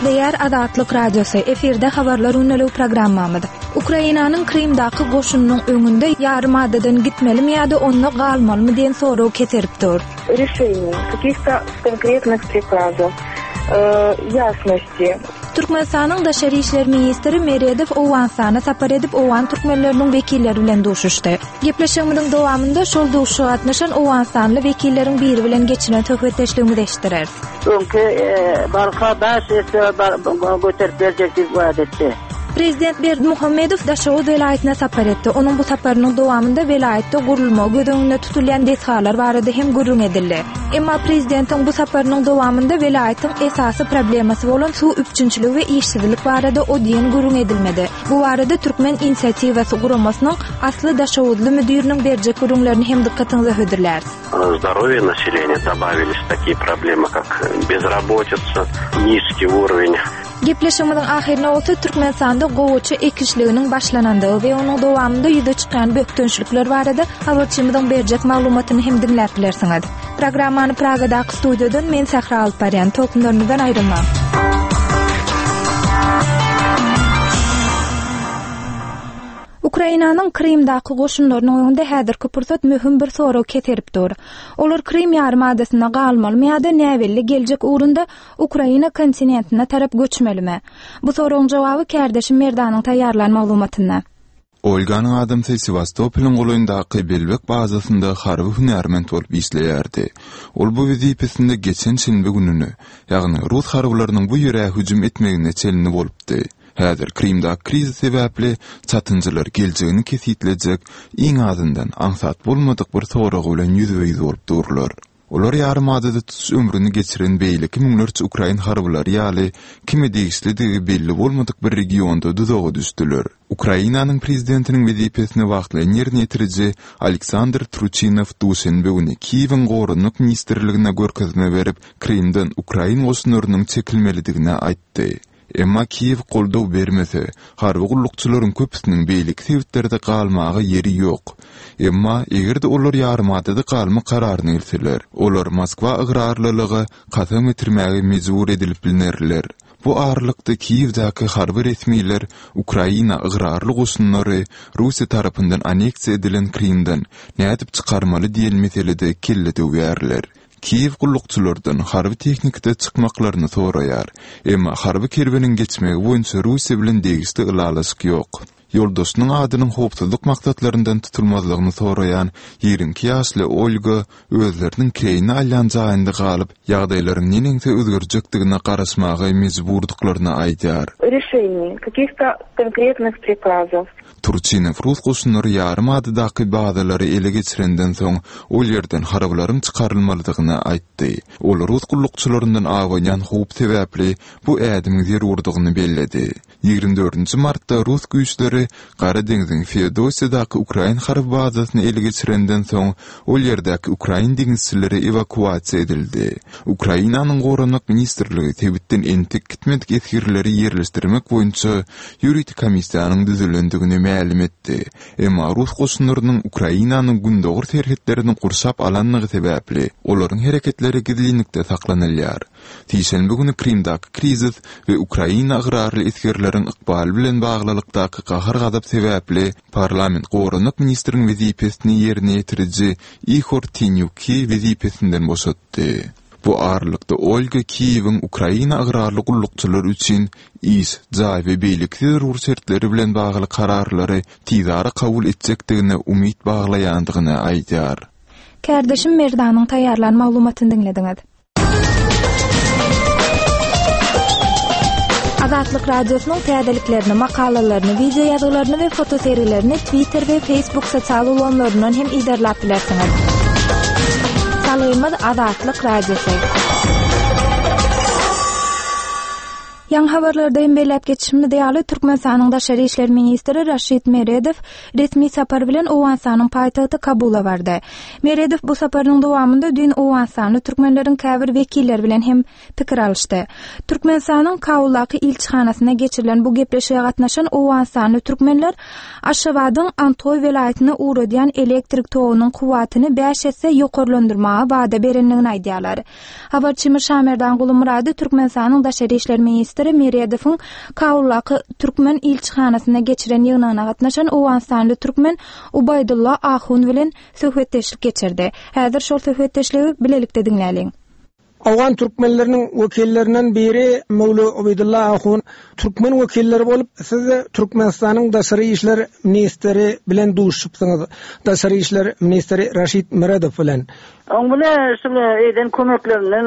Gepleýär Azatlyk Radiosy, efirde Habarlar gündeligi programmamyz. Ukrainanyň Krymdaky goşunynyň öňünde ýarym adadan gitmelimi ýa-da onda galmalymy diýen sorag keserip dur. Rişeniý, kakih-to konkretnych prikazow, ýasnosti. Türkmenistanyň Daşary işler ministri Meredow Owganystana sapar edip, owgan türkmenleriniň wekilleri bilen duşuşdy. Gepleşigimiziň dowamynda şol duşuşyga gatnaşan owganystanly wekilleriň biri bilen geçiren söhbetdeşligimizi eşitdireris. Öňki barka bäş esse göterip berjek diýip wada etdi. Prezident Berdimuhamedow Daşoguz welaýatyna sapar etdi. Onuň bu saparynyň dowamynda welaýatda gurulmagy göz öňünde tutulýan desgalar barada hem gürrüň edildi. Emma prezidentiň bu saparynyň dowamynda welaýatyň esasy problemasy bolan suw üpjünçiligi we işsizlik barada o diýen gürrüň edilmedi. Bu barada Türkmen inisiatiwasy guramasynyň asly daşoguzly müdiriniň berjek gürrüňlerini hem dykgatyňyza hödürläris. Здоровье населения добавились такие проблемы, как безработица, низкий уровень Gepleşigimiziň ahyrynda bolsa Türkmenistanda gowaça ekişliginiň başlanandygy we onuň dowamynda ýüze çykýan bökdençlikler barada habarçymyzyň berjek maglumatyny hem diňläp bilersiňiz. Programmany Pragadaky studiýadan men Sähra alyp barýan. Tolkunlarymyzdan aýrylmaň. Ukrainanyň Krymdaky goşunlarynyň öňünde häzirki pursat möhüm bir sorag keserip dur. Olar Krym ýarym adasynda galmalymy ýa-da näbelli geljek ugrunda Ukraina kontinentine tarap göçmelimi? Bu soragyň jogaby kärdeşim Merdanyň taýýarlan maglumatynda. Olganyň adamsy Sewastopolyň golaýyndaky Belbek bazasynda harby hünärment bolup işleýärdi. Ol bu wezipesinde geçen şenbe gününe, ýagny rus harbylarynyň bu ýere hüjüm etmegine çenli bolupdy. Häzir Krymdaky krizis sebäpli çatynjalar geljegini kesgitlejek, iň azyndan, aňsat bolmadyk bir sorag bilen ýüzbe-ýüz bolup durlar. Olar ýarymadada tutuş ömrüni geçiren beýleki müňlerçe ukrain harbylary ýaly kime degişlidigi belli bolmadyk bir regionda duzaga düşdüler. Ukrainanyň prezidentiniň wezipesini wagtlaýyn ýerine ýetiriji Aleksandr Truçinow duşenbe güni Kiýewiň Goranmak ministrligine görkezme berip, Krymdan ukrain goşunlarynyň çekilmelidigini aýtdy. Emma Kiýew goldaw bermese, harby gullukçylaryň köpüsiniň beýleki sebitlerde galmaga ýeri ýok. Emma, eger-de olar ýarymadada galmak kararyna gelseler, olar Moskwa ygrarlylyga kasam getirmäge mejbur edilip bilnerler. Bu aralykda Kiýewdäki harby resmiler Ukraina ygrarly goşunlary Russiýa tarapyndan anneksiýa edilen Krymdan nädip çykarmaly diýen meselede kelle döwýärler. Kiýew gullukçylardan harby tehnikada çykmaklaryny soraýar. Emma harby kerweniň geçmegi boýunça Russiýa bilen degişli ylalaşyk ýok. Ýoldaşynyň adynyň howpsuzlyk maksatlaryndan tutulmazlygyny soraýan 22 ýaşly Olga özleriniň kireýine alýan jaýynda galyp, ýagdaýlaryň neneňsi özgerjekdigine garaşmaga mejburdyklaryny aýdýar. Rişeniý, kakih-to konkretnyh prikazow. Turçinow rus goşunlary ýarym adadaky bazalary ele geçirenden soň, ol ýerden harbylaryň çykarylmalydygyny aýtdy. Ol rus gullukçylaryndan abanýan howp sebäpli bu ädimiň zerurdygyny belledi. Ýigrimi dördünji martda rus güýçleri Gara deňziň Feodosiýadaky ukrain harby bazasyny ele geçirenden soň, ol ýerdäki ukrain deňizçileri ewakuasiýa edildi. Ukrainanyň Goranmak ministrligi sebitden entek gitmedik esgerleri ýerleşdirmek boýunça ýörite komissiýanyň düzülendigini mälim etdi. Emma rus goşunlarynyň Ukrainanyň gündogar serhetlerini gurşap alanlygy sebäpli, olaryň hereketleri gizlinlikde saklanylýar. Sişenbe güni Krymdaky krizis we Ukraina ygrarly esgerleriň ykbaly bilen baglylykdaky gahar-gazap sebäpli parlament goranmak ministriň wezipesini ýerine ýetiriji Ihor Tinýuki wezipesinden boşatdy. Bu aralykda Olga Kiýewiň Ukraina ygrarly gullukçylar üçin iş, jaý we beýleki zerur şertleri bilen bagly kararlary tizara kabul etjekdigine umyt baglaýandygyny aýdýar. Kärdeşim Merdanyň taýýarlan maglumatyny diňlediňiz. Azatlyk Radiosynyň täzeliklerini, makalalaryny, wideo ýazgylaryny we fotosergilerini Twitter we Facebook sosial ulgamlaryndan hem yzarlap bilersiňiz. Salgymyz Azatlyk Radiosy. Ýaňy habarlarda hem belläp geçişimiz ýaly, Türkmenistanyň Daşary işler ministri Raşid Meredow resmi sapar bilen Owganystanyň paýtagty Kabula bardy. Meredow bu saparynyň dowamynda düýn owganystanly türkmenleriň käbir wekilleri bilen hem pikir alyşdy. Türkmenistanyň Kabuldaky ilçihanasynda geçirilen bu gepleşige gatnaşan owganystanly türkmenler Aşgabadyň Andhoý welaýatyna ugradýan elektrik togunyň kuwwatyny bäş esse ýokarlandyrmaga wada berendigini aýdýarlar. Habarçymyz Şamerdan Gulumyrady Türkmenistanyň Daşary işler ministri. ministri Meredowyň Kabuldaky türkmen ilçihanasynda geçiren ýygnagyna gatnaşan owganystanly türkmen Ubaýdulla Ahun bilen söhbetdeşlik geçirdi. Häzir şol söhbetdeşligi bilelikde diňläliň. Owgan türkmenleriniň wekillerinden biri Möwli Ubeýdulla Ahun türkmen wekilleri bolup, siz Türkmenistanyň daşary işler ministri bilen duşuşypsyňyz, daşary işler ministri Raşid Meredow bilen. Oň bile şul eden kömeklerinden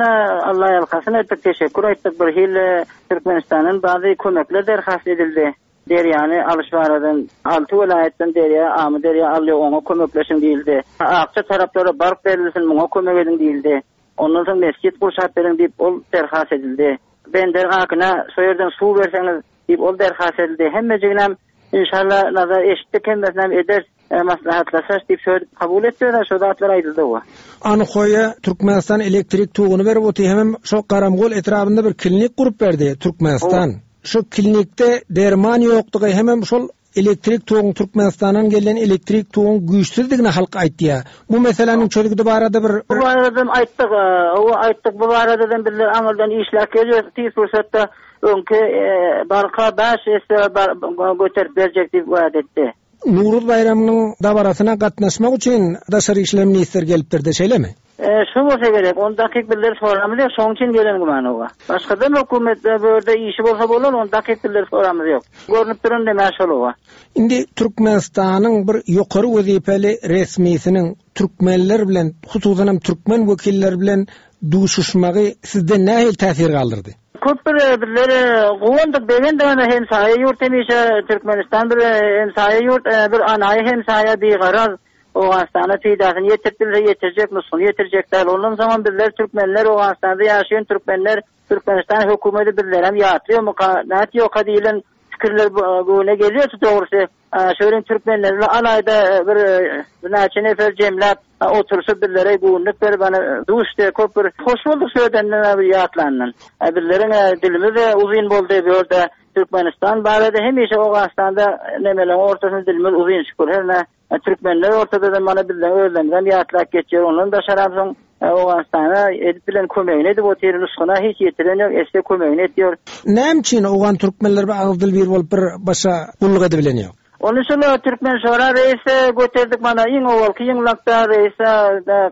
Alla ýalkasyn aýtdyk, teşekkür aýtdyk. Bir hili Türkmenistandan bazy kömekler derhast edildi. Derýany alyş baradan alty welaýatdan derýa, Amyderýa alýar, oňa kömekleşiň diýildi. Akja taraplara bark berilsin, muňa kömek ediň diýildi. Ondan soň mesjit gurşap beriň diýip, ol derhast edildi. Bender Akyna şo ýerden suw berseňiz diýip, ol derhast edildi. Hemmejiginem inşalla nazar eşitdik, hemmesinem ederis, maslahatlaşarys diýip şo kabul etdiler, şo zatlar aýdyldy oba. Anhoýa Türkmenistan elektrik toguny berip otyr, hemem şo Garamgol etrabynda bir klinik gurup berdi Türkmenistan. Şo klinikde derman ýokdugy hemem şol elektrik toguň Türkmenistandan gelýän elektrik toguň güýçsüzdigini halk aýtýar. Bu meseläniň çözgüdi barada bir Bu baradam aýtdyk, hawa aýtdyk bu baradadam bizler aňyrdan işläp gelýäs tiz pursatda öňki barka bäş esse göterip berjek diýip wada etdi. Nowruz baýramynyň dabarasyna gatnaşmak üçin daşary işler ministri gelipdirdi, şeýlemi? Şo bolsa gerek, ony takyk bizler soramyz ýok, şoň üçin gelen güman oba. Başgadam hökümetde bu ýerde işi bolsa bolar, ony takyk bizler soramyz ýok. Görnüp duran neme şol oba. Indi Türkmenistanyň bir ýokary wezipeli resmisiniň türkmenler bilen, hususanam türkmen wekilleri bilen duşuşmagy sizde nähili täsir galdyrdy? Köp bir bizler guwandyk, begendik ana hemsaýa ýurt hemişe Türkmenistan bir hemsaýa ýurt, bir anaýy hemsaýa bigaraz Owganystana peýdasyny ýetirip bilse ýetirjek, nusgyny ýetirjek däl. Ondan soňam bizler türkmenler Owganystanda ýaşaýan türkmenler Türkmenistan hökümeti bizlerem ýatlaýarmyka, nätýoka diýlen pikirler göwne gelýärdi dogrusy. Şöyle türkmenler bilen alaýda bir birnäçe nefer jemläp oturyşyp bizlere göwünlik berip ana duşdy köp bir hoş bolduk şu ýerden bir ýatlandan. Bizleriň dilimiz de uzyn boldy bu ýerde Türkmenistan barada hemişe Owganystanda nemeleriň ortasynda dilimiz uzyn şükür her ne Türkmenler ortada-da mana bizden özlerimizem ýatlap geçýär. Ondan daşaram soň Owganystana edip bilen kömegini edip otyr. Nusgyna hiç ýetiren ýok, etse kömegini etýär. Näme üçin owgan türkmenleri bir agyz dil bir bolup bir başa gulluk edibilen ýok? Ony şol Türkmen şora reýise göterdik mana iň owalky ýygnakda reýise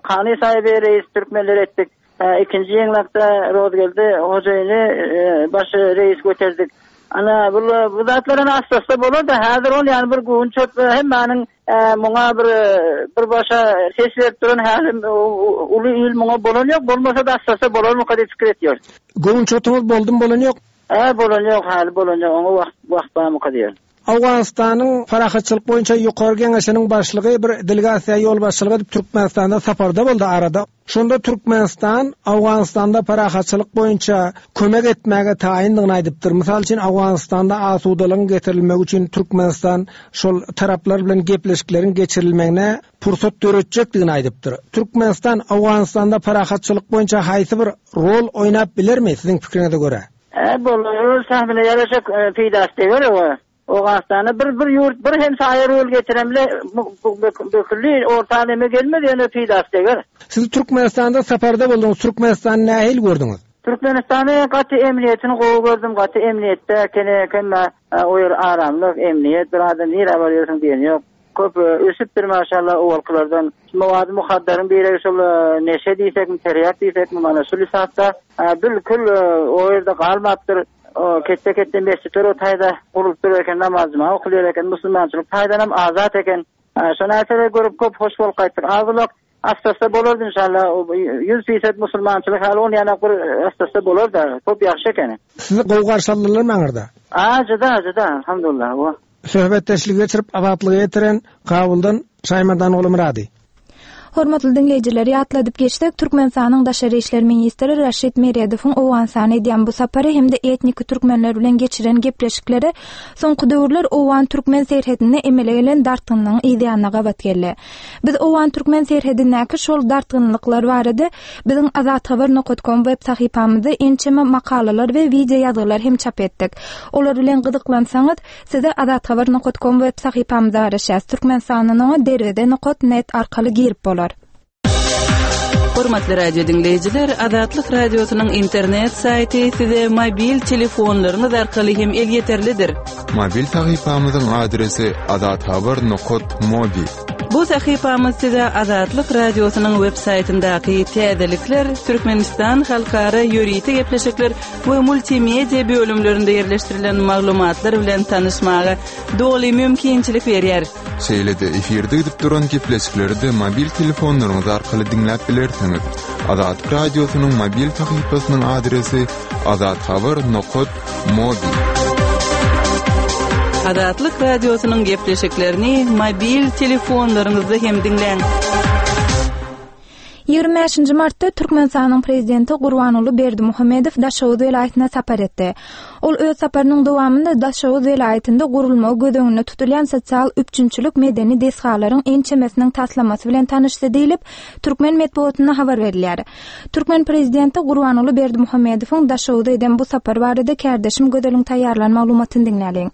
Kany saýyby reýis türkmenler etdik. Ikinji ýygnakda Rozgeldi hojaýyny baş reýis göterdik. Ana, bu bu zatlar ana assa-assa bolar-da, häzir ol ýany bir göwün çöp hemmäniň muňa bir bir başa ses berip duran häli uly il muňa bolan ýok, bolmasa-da assa-assa bolarmyka diýip pikir etýäris. Göwün çotuňyz boldumy bolan ýok? Hä, bolan ýok, häli bolan ýok, oňa wagt wagt barmyka diýýän. Owganystanyň Parahatçylyk boýunça Ýokary Geňeşiniň başlygy bir delegasiýa ýolbaşçylyk edip Türkmenistanda saparda boldy arada. Şonda Türkmenistan Owganystanda parahatçylyk boýunça kömek etmäge taýyndygyny aýdypdyr. Mysal üçin Owganystanda asudalygyň getirilmegi üçin Türkmenistan şol taraplar bilen gepleşikleriň geçirilmegine pursat döretjekdigini aýdypdyr. Türkmenistan Owganystanda parahatçylyk boýunça haýsy bir rol oýnap bilermi siziň pikiriňize görä? Hä bolar öz sähmine ýaraşa peýdasy deger oba. Owganystanda bir bir ýurt bir hemsaýa rol getiren bile bu külli orta neme gelmez ýöne peýdasy deger. Siz Türkmenistanda saparda bolduňyz Türkmenistany nähili gördüňiz? Türkmenistany gaty emniýetini gowy gördüm gaty emniýetde ekeni hemme o ýer aramlyk emniýet bir adam nirä barýarsyň diýeni ýok. Köp ösüpdir maşallah owalkylardan. Mowady muhaddaryň biregi şol neşe diýsekmi, terýak diýsekmi mana şul isapda bilkül o ýerde galmapdyr. Ketde-ketde mesjitler o taýda gurulyp dur eken, namaz juma okulýar eken, musulmançylyk taýdanam azat eken. Şo närseleri görüp köp hoş bolup gaýtdyk. Az-ulak assa-assa bolardy inşallah. 100% musulmançylyk haly ol ýanak bir assa-assa bolar-da. Köp ýagşy ekeni. Sizi gowy garşy aldylarmy aňyrda? A, juda, juda, alhamdulillah. Söhbetdeşligi geçirip Azatlyga ýetiren Kabuldan Şaýmerdan Gulumyrady. Hormatly diňleýjiler, ýatladyp geçsek, Türkmenistanyň daşary işler ministri Raşid Meredowyň Owganystana edýän bu sapary hem-de etniki türkmenler bilen geçiren gepleşikleri soňky döwürler owgan-türkmen serhedinde emele gelen dartgynlygyň yz ýanyna gabat geldi. Biz owgan-türkmen serhedindäki şol dartgynlyklar barada biziň Azathabar nokat kom web sahypamyzda ençeme makalalar we wideo ýazgylar hem çap etdik. Olar bilen gyzyklansaňyz, size Azathabar nokat kom web sahypamyzda garaşýas. Türkmenistandan oňa derweze nokat net arkaly girip bolar. Hormatly radio diňleýjiler, Azatlyk Radiosynyň internet saýty size mobil telefonlaryňyz arkaly hem elýeterlidir. Mobil sahypamyzyň adresi azathabar.mobi. Bu sahypamyz size Azatlyk Radiosynyň web saýtyndaky täzelikler, Türkmenistan halkara ýörite gepleşikler we multimedia bölümlerinde ýerleşdirilen maglumatlar bilen tanyşmaga doly mümkinçilik berýär. Şeýle-de efirde gidip duran gepleşikleri-de mobil telefonlaryňyz arkaly diňläp bilersiňiz. Azatlyk Radiosynyň mobil sahypasynyň adresi azathabar nokat mobi. Azatlyk Radiosynyň gepleşiklerini mobil telefonlaryňyzda hem diňläň. 25-nji martda Türkmenistanyň Prezidenti Gurbanguly Berdimuhamedow Daşoguz welaýatyna sapar etdi. Ol öz saparynyň dowamynda Daşoguz welaýatynda gurulmagy göz öňünde tutulýan sosial üpjünçilik medeni desgalaryň ençemesiniň taslamasy bilen tanyşdy diýlip, türkmen metbugatynda habar berilýär. Türkmen prezidenti Gurbanguly Berdimuhamedowyň Daşoguza eden bu sapary barada kärdeşim Gözeliň taýýarlan maglumatyny diňläliň.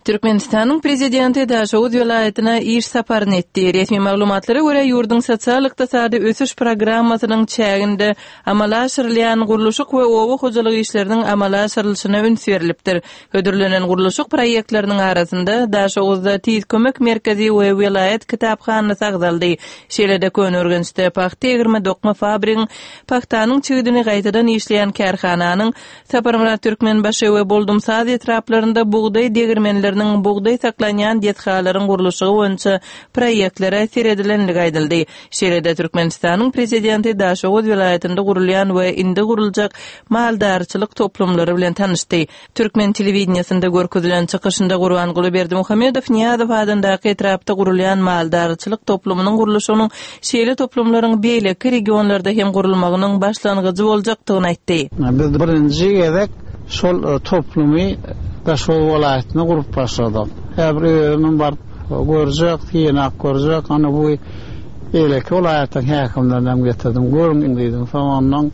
Türkmenistanyň Prezidenti Daşoguz welaýatyna iş saparyny etdi. Resmi maglumatlara görä, ýurduň sosial-ykdysady ösüş programmasynyň çäginde amala aşyrylýan gurluşyk we oba hojalyk işleriniň amala aşyrylyşyna üns berlipdir. Hödürlenen gurluşyk proýektleriniň arasynda Daşoguzda Tiz kömek merkezi we welaýat kitaphanasy agzaldy. Şeýle-de Köneürgençde pagta egirme dokma fabrigiň, pagtanyň çigidini gaýtadan işleýän kärhananyň, Saparmyrat Türkmenbaşy we Boldumsaz etraplarynda bugdaý degirmenleriniň, bugdaý saklanýan desgalaryň gurluşygy boýunça proýektlere seredilendigi aýdyldy. Şeýle-de Türkmenistanyň Prezidenti Daşoguz welaýatynda gurulýan we indi guruljak maldarçylyk toplumlary bilen tanyşdy. Türkmen telewideniýesinde görkezilen çykyşynda Gurbanguly Berdimuhamedow Nyýazow adyndaky etrapda gurulýan maldarçylyk toplumynyň gurluşygynyň şeýle toplumlaryň beýleki regionlarda hem gurulmagynyň başlangyjy boljakdygyny aýtdy. Biz birinji gezek şol toplumy Daşoguz welaýatynda gurup başladyk. Häzir özümem baryp görjek, synap görjek. Ana bu beýleki welaýatlaryň häkimlerini hem getirdim. Görüň diýdim. Soň ondan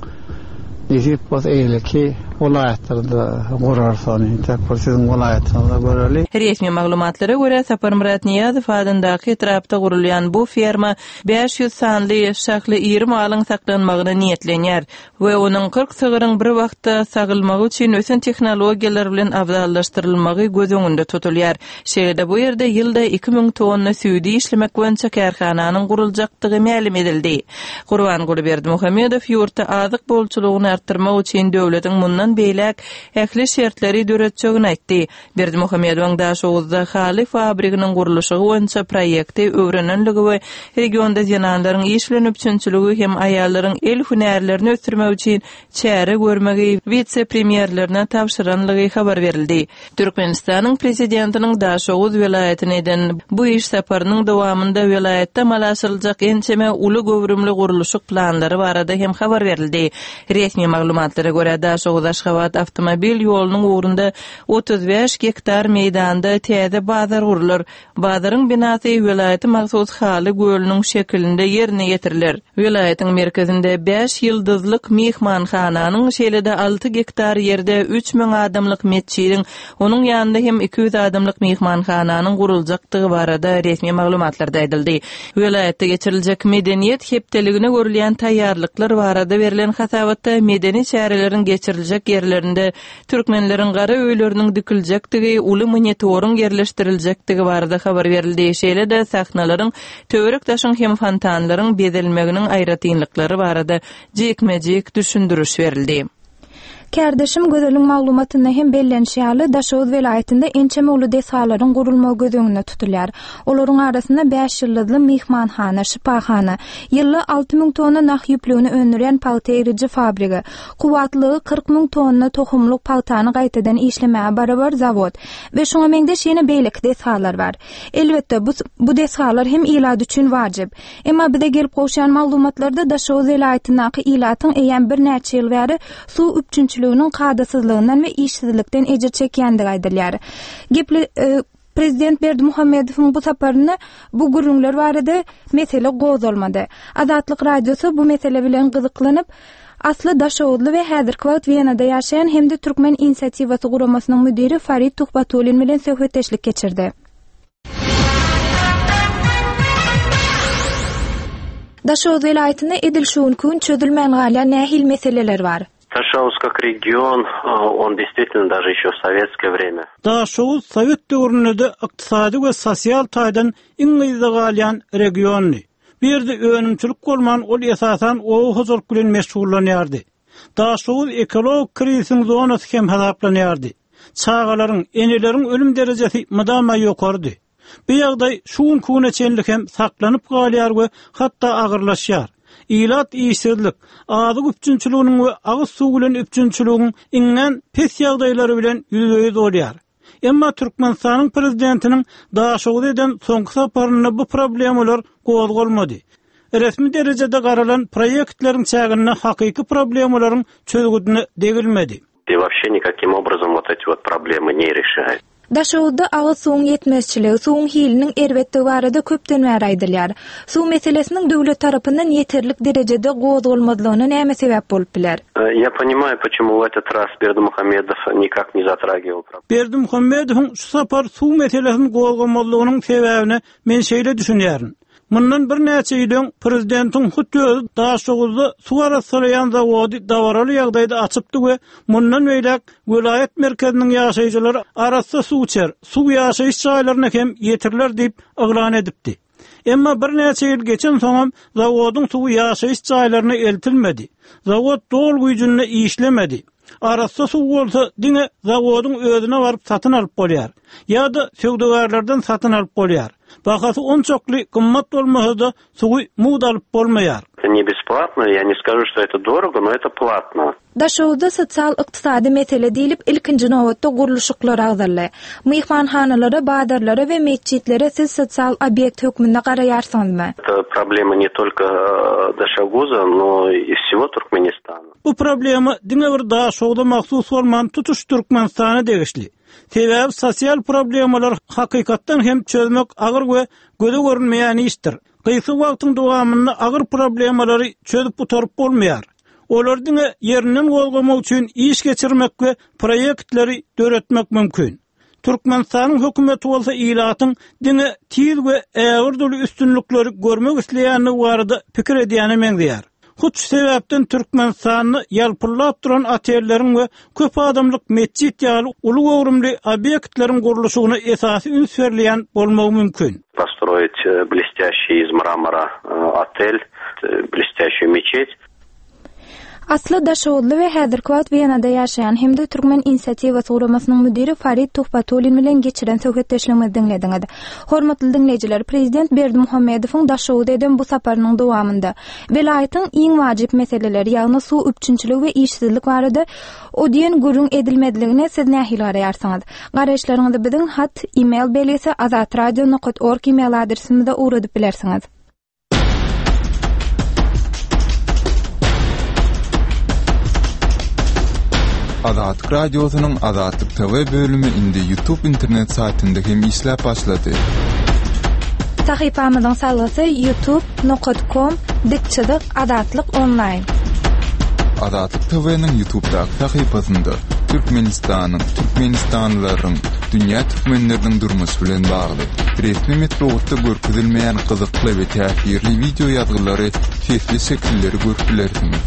Nesip bolsa eýleki welaýatlarda gurarys ony. Entek bir siziň welaýatyňyzda göreli. Resmi maglumatlara görä, Saparmyrat Nyýazow adyndaky etrapda gurulýan bu ferma 500 sanly şahly iri malyň saklanmagyna niýetlenýär we onuň 40 sygyryň bir wagtda sagylmagy üçin ösen tehnologiýalar bilen abzallaşdyrylmagy göz öňünde tutulýar. Şeýle-de bu ýerde ýylda 2000 tonna süýdi işlemek boýunça kärhananyň guruljakdygy mälim edildi. Gurbanguly Berdimuhamedow ýurtda azyk bolçulygyny artdyrmak üçin döwletiň mundan beýläk ähli şertleri döretjegini aýtdy. Berdimuhamedowyň Daşoguzda haly fabriginiň gurluşygy boýunça proýekti öwrenenligi we regionda zenanlaryň iş bilen üpjünçiligi hem aýallaryň el hünärlerini ösdürmek üçin çäre görmegi wise-premýerlerine tabşyranlygy habar berildi. Türkmenistanyň Prezidentiniň Daşoguz welaýatyna eden bu iş saparynyň dowamynda welaýatda amala aşyryljak ençeme uly göwrümli gurluşyk planlary barada hem habar berildi. Resmi maglumatlara görä, Daşoguz-Aşgabat awtomobil ýolunyň ugrunda 35 gektar meýdanda täze bazar gurlar. Bazaryň binasy welaýata mahsus haly gölüniň şekilinde ýerine ýetiriler. Welaýatyň merkezinde bäş ýyldyzlyk myhmanhananyň, şeýle-de alty gektar ýerde 3000 adamlyk metjidiň, onuň ýanynda hem 200 adamlyk myhmanhananyň guruljakdygy barada resmi maglumatlarda aýdyldy. Welaýatda geçiriljek Medeniýet hepdeligine görülýän taýýarlyklar barada berlen hasabatda medeni çäreleriň geçiriljek ýerlerinde Türkmenleriň gara öýleriniň dikiljekdigi, uly monitoryň ýerleşdiriljekdigi barada habar berildi. Şeýle-de sahnalaryň, töwerek-daşyň hem fontanlaryň bezelmeginiň aýratynlyklary barada jikme-jik düşündiriş berildi. Kärdeşim Gözeliň maglumatynda hem bellenişi ýaly, Daşoguz welaýatynda ençeme uly desgalaryň gurulmagy göz öňünde tutulýar. Olaryň arasynda bäş ýyldyzly myhmanhana, şypahana, ýylda 6000 tonna nah ýüplügini öndürýän pagta egriji fabrigi, Kuwwatlylygy 40 müň tonna tohumlyk pagtany gaýtadan işlemäge barabar zawod we şuňa meňzeş ýene beýleki desgalar bar. Elbetde, bu bu desgalar hem ilat üçin wajyp. Emma bize gelip gowşan maglumatlarda Daşoguz welaýatyndaky ilatyň eýýäm birnäçe ýyl bäri suw üpjünçiliginiň kadasyzlygyndan we işsizlikden ejir çekýändigi aýdylýar. Geple Prezident Berdimuhamedowyň bu saparynda bu gürrüňler barada mesele gozgalmady. Azatlyk Radiosy bu mesele bilen gyzyklanyp, asly daşoguzly we häzirki wagt Wenada ýaşaýan hem-de Türkmen inisiatiwasy guramasynyň müdiri Farid Tuhbatullin bilen söhbetdeşlik geçirdi. Daşoguz welaýatynda edil şu günki gün çözülmän galýan nähili meseleler bar? Daşoguz как region, on действительно даже еще в sovetskoe vremya. Daşoguz sowet döwründe-de ykdysady we sosial taýdan iň yzda galýan regiondy. Bu ýerde önümçilik bolman, ol esasan oba hojalyk bilen meşgullanýardy. Daşoguz ekologik krizisiň zonasy hem hasaplanýardy. Çagalaryň, eneleriň ölüm derejesi mydama ýokarydy. Bu ýagdaý şu günki güne çenli hem saklanyp galýar we hatda agyrlaşýar. Ilat işsizlik, azyk üpjünçiliginiň we agyz suwy bilen üpjünçiligiň iňňän pes ýagdaýlary bilen ýüzbe-ýüz bolýar. Emma Türkmenistanyň prezidentiniň Daşoguza eden soňky saparynda bu problemalar gozgalmady. Resmi derejede garalan proýektleriň çäginde hakyky problemalaryň çözgüdine degilmedi. I wobşe nikakim obrazom wot eti wot problemy ne reşaet. Daşoguzda agyz suwuň ýetmezçiligi, suwuň hiliniň erbetdigi barada köpden bäri aýdylýar. Suw meselesiniň döwlet tarapyndan ýeterlik derejede gozgalmazlygyna näme sebäp bolup biler? Ýa ponimaýu poçemu w etot raz Berdimuhamedow nikak ne zatragiwal problemu. Berdimuhamedowyň şu sapar suw meselesini gozgamazlygynyň sebäbine men şeýle düşünýärin. Mundan birnäçe ýyl öň prezidentiň hut özi Daşoguzda suw arassalaýan zawody dabaraly ýagdaýda açypdy we mundan beýläk welaýat merkeziniň ýaşaýjylary arassa suw içer, suw ýaşaýyş jaýlaryna hem ýetiriler diýip yglan edipdi. Emma birnäçe ýyl geçensoňam zawodyň suwy ýaşaýyş jaýlaryna eltilmedi. Zawod doly güýjünde işlemedi. Arassa suw bolsa diňe zawodyň özüne baryp satyn alyp bolýar. Ýa-da söwdagärlerden satyn alyp bolýar. Bahasy onçakly gymmat bolmasa-da suwy mugt alyp bolmaýar. Это не бесплатно, я не скажу, что это дорого, но это платно. Daşoguzda sosial-ykdysady mesele diýlip, ilkinji nobatda gurluşyklar agzaldy. Myhmanhanalara, bazarlara we metjitlere siz sosial obýekt hökmünde garaýarsyňyzmy? Это проблема не только Дашогуза, но и всего Туркменистана. Bu problema diňe bir Daşogza mahsus bolman, tutuş Türkmenistana degişli. Sebäbi sosial problemalary hakykatdan hem çözmek agyr we göze görünmeýän işdir. Gysga wagtyň dowamynda agyr problemalary çözüp gutaryp bolmaýar. Olary diňe ýerinden gozgamak üçin iş geçirmek we proýektleri döretmek mümkin. Türkmenistanyň hökümeti bolsa ilatyň diňe tiz we ägirt uly üstünlikleri görmek isleýändigi barada pikir edýäne meňzeýär. Hut şu sebäpden Türkmenistanda ýalpyldap duran otelleriň we köp adamlyk metjit ýaly uly göwrümli obýektleriň gurluşygyna esasy üns berilýän bolmagy mümkin. Postroit blestýaşiý iz mramora otel, blestýaşiý meçet. Asly daşoguzly we häzirki wagt Wenada ýaşaýan hem-de Türkmen inisiatiwasy guramasynyň müdiri Farid Tuhbatullin bilen geçiren söhbetdeşligimizi diňlediňiz. Hormatly diňleýjiler, Prezident Berdimuhamedowyň Daşoguza eden bu saparynyň dowamynda welaýatyň iň wajyp meseleleri, ýagny suw üpjünçiligi we işsizlik barada o diýen gürrüň edilmezligine siz nähili garaýarsyňyz? Garaýyşlaryňyzy biziň hat, e-mail belgisi azatradio nokat org e-mail adresimize ugradyp bilersiňiz. Azatlyk Radiosynyň Azatlyk TV bölümi indi YouTube internet saýtynda hem işläp başlady. Sahypamyzyň salgysy youtube nokat kom dik çyzyk azatlyk onlaýn. Azatlyk TV-niň YouTube'daky sahypasynda Türkmenistanyň, türkmenistanlylaryň, dünýä türkmenleriniň durmuşy bilen bagly resmi metbugatda görkezilmeýän gyzykly we täsirli wideo ýazgylary, sesli şekilleri görüp bilersiňiz.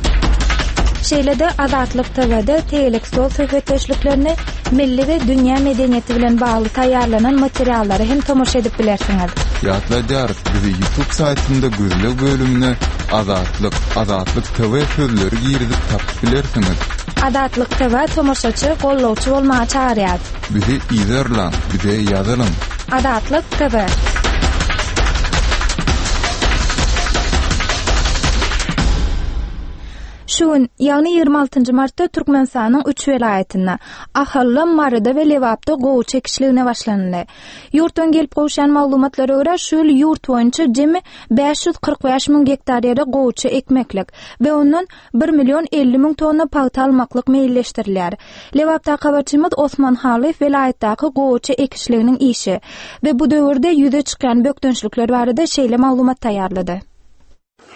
Şeýle-de Azatlyk TW-de tegelek stol söhbetdeşliklerini, milli we dünýä medeniýeti bilen bagly taýýarlanan materiallara hem tomaşa edip bilersiňiz. Ýatladýarys, bizi YouTube saýtynda gözleg bölümine Azatlyk, Azatlyk TV sözleri girizip tapyp bilersiňiz. Azatlyk TV tomaşaçy, gollawçy bolmaga çagyrýar. Bizi yzarlaň, bize ýazylyň. Azatlyk TV. Şu gün, ýagny 26 martda Türkmenistanyň üç welaýatynda, Ahalda, Maryda we Lebapda gowaça ekişligine başlanyldy. Ýurtdan gelip gowuşýan maglumatlara görä, şu ýyl ýurt boýunça jemi 545 müň gektar ýere gowaça ekmeklik we ondan bir million 50 müň tonna pagta almaklyk meýilleşdirilýär. Lebapdaky habarçymyz Osman Halyýew welaýatdaky gowaça ekişliginiň işi we bu döwürde ýüze çykýan bökdençlikler barada şeýle maglumat taýýarlady.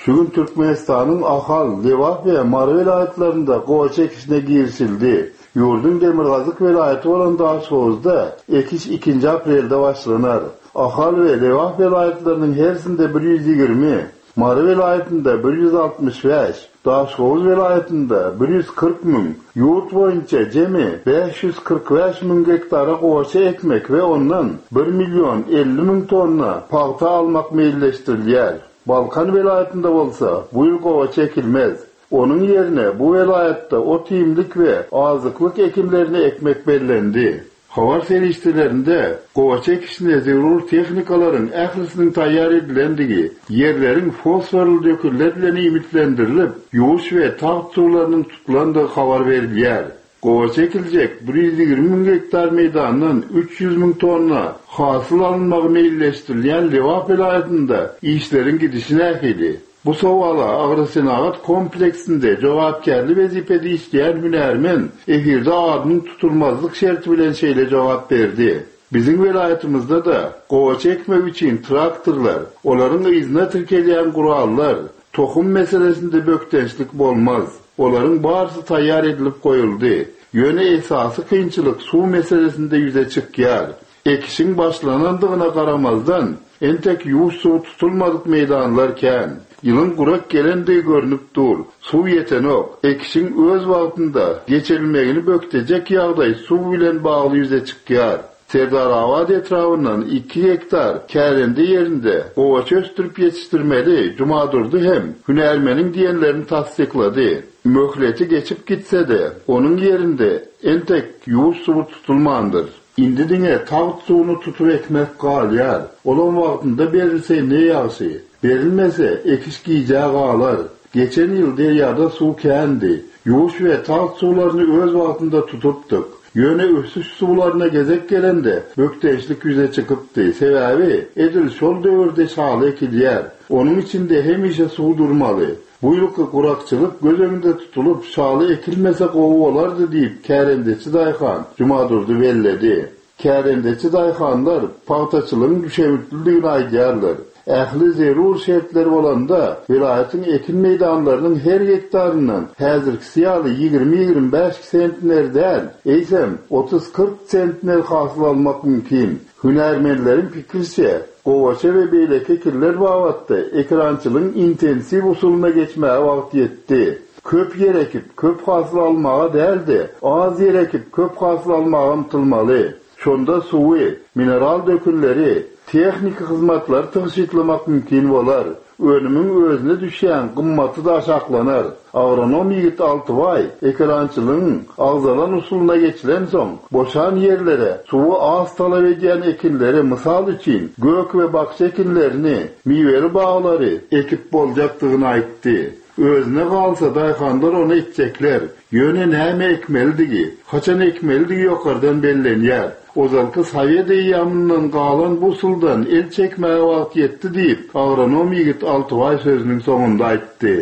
Şu gün Türkmenistanyň Ahal, Lebap we Mary welaýatlarynda gowaça ekişine girişildi. Ýurduň demirgazyk welaýaty bolan Daşhowuzda ekiş ikinji aprelde başlanar. Ahal we Lebap welaýatlarynyň hersinde 120. Mary welaýatynda 165, Daşhowuz welaýatynda 140 müň, ýurt boýunça jemi 545 müň gektara gowaça ekmek we ondan bir million 50 müň tonna pagta almak meýilleşdirilýär. Balkan welaýatynda bolsa bu ýyl gowaça ekilmez. Onuň ýerine bu welaýatda ot-iýmlik we azyklyk ekinlerini ekmek bellendi. Habar serişdelerinde gowaça ekişine zerur tehnikalaryň ählisiniň taýýar edilendigi, ýerleriň fosforly dökünler bilen iýmitlendirilip, ýuwuş we tagt suwlarynyň tutulandygy habar berilýär. Gowaça ekiljek 120 müň gektar meýdandan 300 müň tonna hasyl alynmagy meýilleşdirilýän Lebap welaýatynda işleriň gidişi nähili? Bu sowala agrosenagat kompleksinde jogapkärli wezipede işleýän hünärmen efirde adynyň tutulmazlyk şerti bilen şeýle jogap berdi, Biziň welaýatymyzda-da gowaça ekmek üçin traktorlar, olaryň yzyna tirkelýän gurallar, tohum meselesinde bökdençlik bolmaz. Olaryň barysy taýýar edilip goýuldy. Ýöne esasy kynçylyk suw meselesinde ýüze çykýar. Ekişiň başlanandygyna garamazdan, entek ýuwuş suwy tutulmadyk meýdanlar kän. Ýylyň gurak gelendigi görnüp dur. Suw ýetenok. Ekişiň öz wagtynda geçirilmegini bökdejek ýagdaý suw bilen bagly ýüze çykýar. Serdarabat etrabyndan iki gektar kärende ýerinde gowaça ösdürip ýetişdirmeli Jumadurdy hem hünärmeniň diýenlerini tassyklady. Möhleti geçip gitse-de, onuň ýerinde entek ýuwuş suwy tutulmandyr. Indi diňe tagt suwuny tutup ekmek galýar. Olam wagtynda berilse ne ýagşy. Berilmese, ekiş gijä galar. Geçen ýyl derýada suw kändi. Ýuwuş we tagt suwlaryny öz wagtynda tutupdyk. Ýöne ösüş suwlaryna gezek gelende, bökdençlik ýüze çykypdy. Sebäbi, edil şol döwürde şaly ekilýär. Onuň içinde hemişe suw durmaly. Bu ýylky gurakçylyk göz öňünde tutulyp, şaly ekilmese gowy bolardy diýip, kärendeçi daýhan Jumadurdy belledi. Kärendeçi daýhanlar pagtaçylygyň düşewüntlidigini aýdýarlar. Ähli zerur şertler bolanda, welaýatyň ekin meýdanlarynyň her gektaryndan häzirkisi ýaly 20-25 sentner däl, eýsem, 30-40 sentner hasyl almak mümkin. Hünärmenleriň pikiriçe, gowaça we beýleki ekinler babatda ekerançylygyň intensiw usulyna geçmäge wagt ýetdi. Köp ýer ekip, köp hasyl almaga däl-de, az ýer ekip, köp hasyl almaga ymtylmaly. Şonda suwy, mineral dökünleri, tehniki hyzmatlary tygşytlamak mümkin bolar. Önümiň özüne düşýän gymmaty-da aşaklanar. Agronom ýigit Altybaý ekerançylygyň agzalan usulyna geçilensoň, boşan ýerlere suwy az talap edýän ekinleri, mysal üçin, gök we bakja ekinlerini, miweli baglary ekip boljakdygyny aýtdy. Özüne galsa, daýhanlar ony etjekler. Ýöne näme ekmelidigi, haçan ekmelidigi ýokardan bellenýär. Ozalky sowet eýýamyndan galan bu usuldan el çekmäge wagt ýetdi diýip, agronom ýigit Altybaý sözüniň soňunda aýtdy.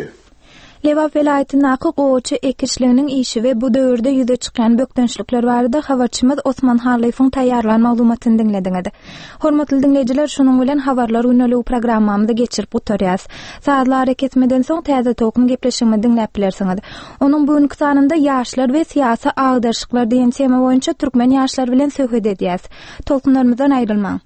Lebap welaýatyndaky gowaça ekişliginiň işi we bu döwürde ýüze çykýan bökdençlikler barada habarçymyz Osman Hallyýewiň taýýarlan maglumatyny diňlediňiz. Hormatly diňleýjiler, şunuň bilen Habarlar gündeligi programmamyzy geçirip gutarýas. Sazly arakesmeden soň Täze tolkun gepleşigimizi diňläp bilersiňiz. Onuň bu günki sanynda Ýaşlar we syýasy agdaryşyklar diýen tema boýunça türkmen ýaşlary bilen söhbet edýäs. Tolkunlarymyzdan aýrylmaň.